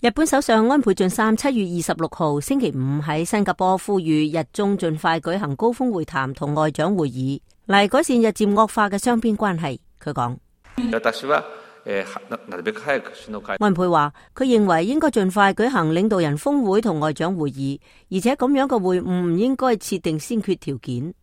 日本首相安倍晉三7月26號星期五喺新加坡呼籲日中盡快舉行高峰會談同外長會議，嚟改善日漸惡化嘅雙邊關係。佢講，安倍話佢認為應該盡快舉行領導人峰會同外長會議，而且咁樣嘅會晤唔應該設定先決條件。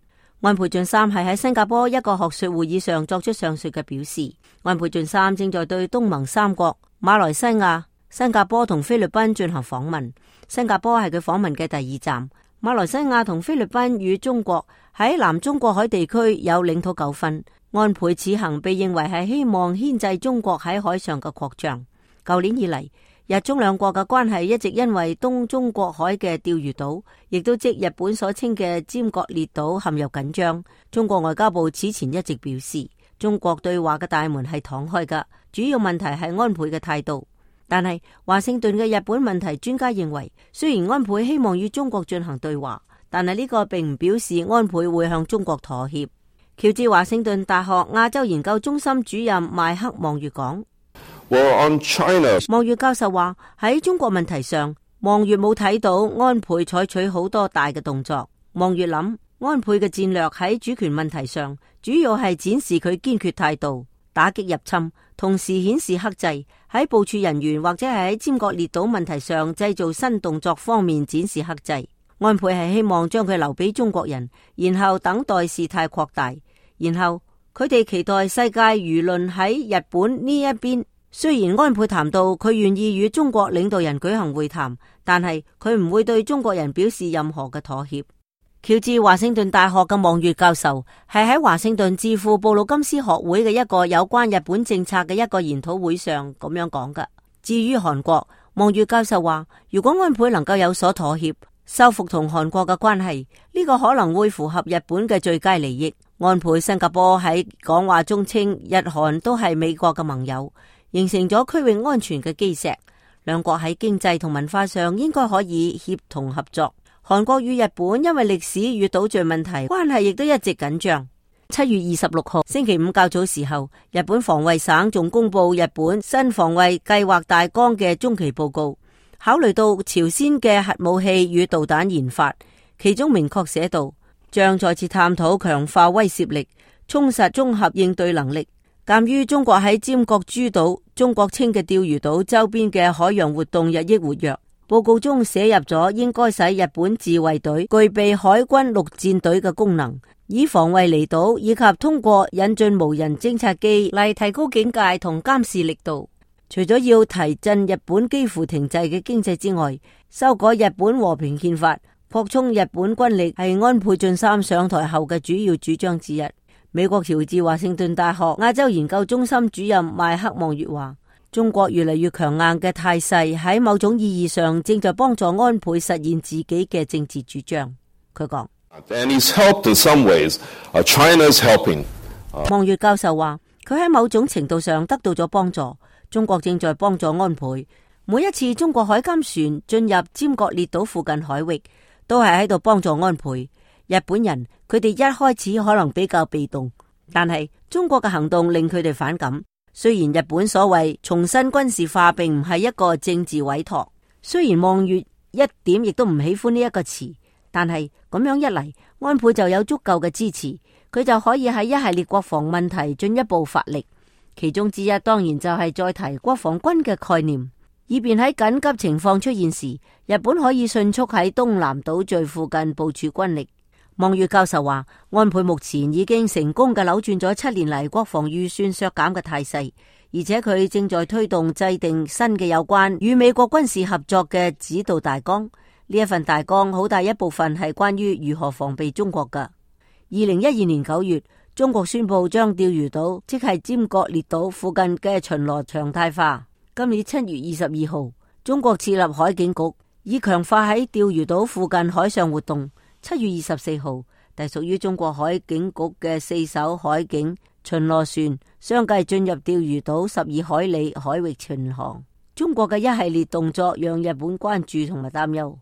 安倍晉三係喺新加坡一個學術會議上作出上述嘅表示。安倍晉三正在對東盟三國馬來西亞、新加坡同菲律賓進行訪問，新加坡係佢訪問嘅第2站。馬來西亞同菲律賓與中國喺南中國海地區有領土糾紛，安倍此行被認為係希望牽制中國喺海上嘅擴張。舊年以嚟，日中兩國嘅關係一直因為東中國海嘅釣魚島，亦都即日本所稱嘅尖閣列島陷入緊張。中國外交部此前一直表示，中國對話嘅大門係敞開㗎，主要問題係安倍嘅態度。但係華盛頓嘅日本問題專家認為，雖然安倍希望與中國進行對話，但係呢個並唔表示安倍會向中國妥協。喬治華盛頓大學亞洲研究中心主任邁克望月講，望月教授話喺中國問題上，望月冇睇到安倍採取好多大嘅動作。望月諗，安倍嘅戰略喺主權問題上，主要係展示佢堅決態度，打擊入侵，同時顯示克制。喺部署人員或者係喺尖閣列島問題上製造新動作方面展示克制。安倍係希望將佢留俾中國人，然後等待事態擴大，然後佢哋期待世界輿論喺日本呢一邊。雖然安倍談到佢願意與中國領導人舉行會談，但係佢唔會對中國人表示任何嘅妥協。喬治華盛頓大學嘅望月教授係喺華盛頓智庫布魯金斯學會嘅一個有關日本政策嘅一個研討會上咁樣講㗎。至於韓國，望月教授話，如果安倍能夠有所妥協，修復同韓國嘅關係，呢個可能會符合日本嘅最佳利益。安倍新加坡喺講話中稱日韓都係美國嘅盟友，形成咗區域安全嘅基石，兩國喺經濟同文化上應該可以協同合作。韓國與日本因為歷史與島嶼問題關係亦都一直緊張。7月26號星期五較早時候，日本防衛省仲公布日本新防衛計劃大綱嘅中期報告，考慮到朝鮮嘅核武器與導彈研發，其中明確寫道，將再次探討強化威懾力，充實綜合應對能力。鑒於中國喺尖閣諸島、中國稱嘅釣魚島周邊嘅海洋活動日益活躍，報告中寫入咗應該使日本自衛隊具備海軍陸戰隊嘅功能，以防衛離島，以及通過引進無人偵察機嚟提高警戒同監視力度。除咗要提振日本幾乎停滯嘅經濟之外，修改日本和平憲法、擴充日本軍力係安倍晉三上台後嘅主要主張之一。美國喬治華盛頓大學亞洲研究中心主任邁克望月話，中國越嚟越強硬嘅態勢喺某種意義上正在幫助安倍實現自己嘅政治主張。佢講，望月教授話，佢喺某種程度上得到咗幫助。中國正在幫助安倍。每一次中國海監船進入尖閣列島附近海域，都係喺度幫助安倍。日本人佢哋一開始可能比較被動，但係中國嘅行動令佢哋反感。雖然日本所謂重新軍事化並唔係一個政治委託，雖然望月一點亦都唔喜歡呢一個詞，但係咁樣一嚟，安倍就有足夠嘅支持，佢就可以喺一系列國防問題進一步發力。其中之一當然就係再提國防軍嘅概念，以便喺緊急情況出現時，日本可以迅速喺東南島嶼附近部署軍力。望月教授話，安倍目前已經成功嘅扭轉咗7年嚟國防預算削減嘅態勢，而且佢正在推動制定新嘅有關與美國軍事合作嘅指導大綱。呢一份大綱好大一部分係關於如何防備中國㗎。2012年9月，中國宣布將釣魚島，即係尖閣列島附近嘅巡邏常態化。今年7月22號，中國設立海警局，以強化喺釣魚島附近海上活動。7月24號，隸屬於中國海警局嘅4艘海警巡邏船相繼進入釣魚島12海里海域巡航。中國嘅一系列動作讓日本關注同埋擔憂。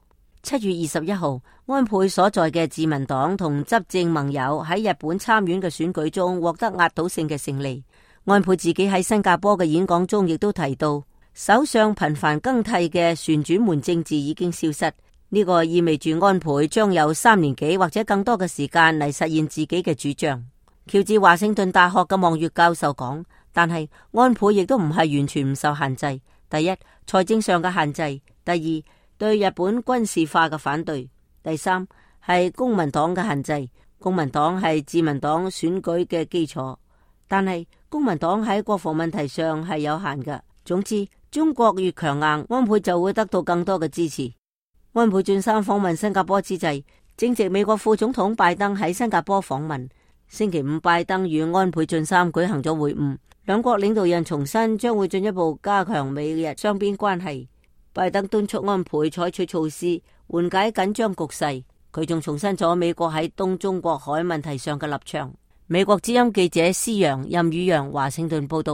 7月21號，安倍所在嘅自民黨同執政盟友喺日本參院嘅選舉中獲得壓倒性嘅勝利。安倍自己喺新加坡嘅演講中亦都提到，首相頻繁更替嘅旋轉門政治已經消失，呢個意味住安倍將有3年幾或者更多嘅時間嚟實現自己嘅主張。喬治華盛頓大學嘅望月教授講，但係安倍亦都唔係完全唔受限制。第一，財政上嘅限制；第二，對日本軍事化嘅反對；第三，係公民黨嘅限制。公民黨係自民黨選舉嘅基礎，但係公民黨喺國防問題上係有限嘅。總之，中國越強硬，安倍就會得到更多嘅支持。安倍晉三訪問新加坡之際，正值美國副總統拜登喺新加坡訪問。星期五，拜登與安倍晉三舉行咗會晤，兩國領導人重申將會進一步加強美日雙邊關係。拜登敦促安倍採取措施緩解緊張局勢，佢仲重申咗美國喺東中國海問題上嘅立場。美國之音記者施洋、任宇陽華盛頓報道。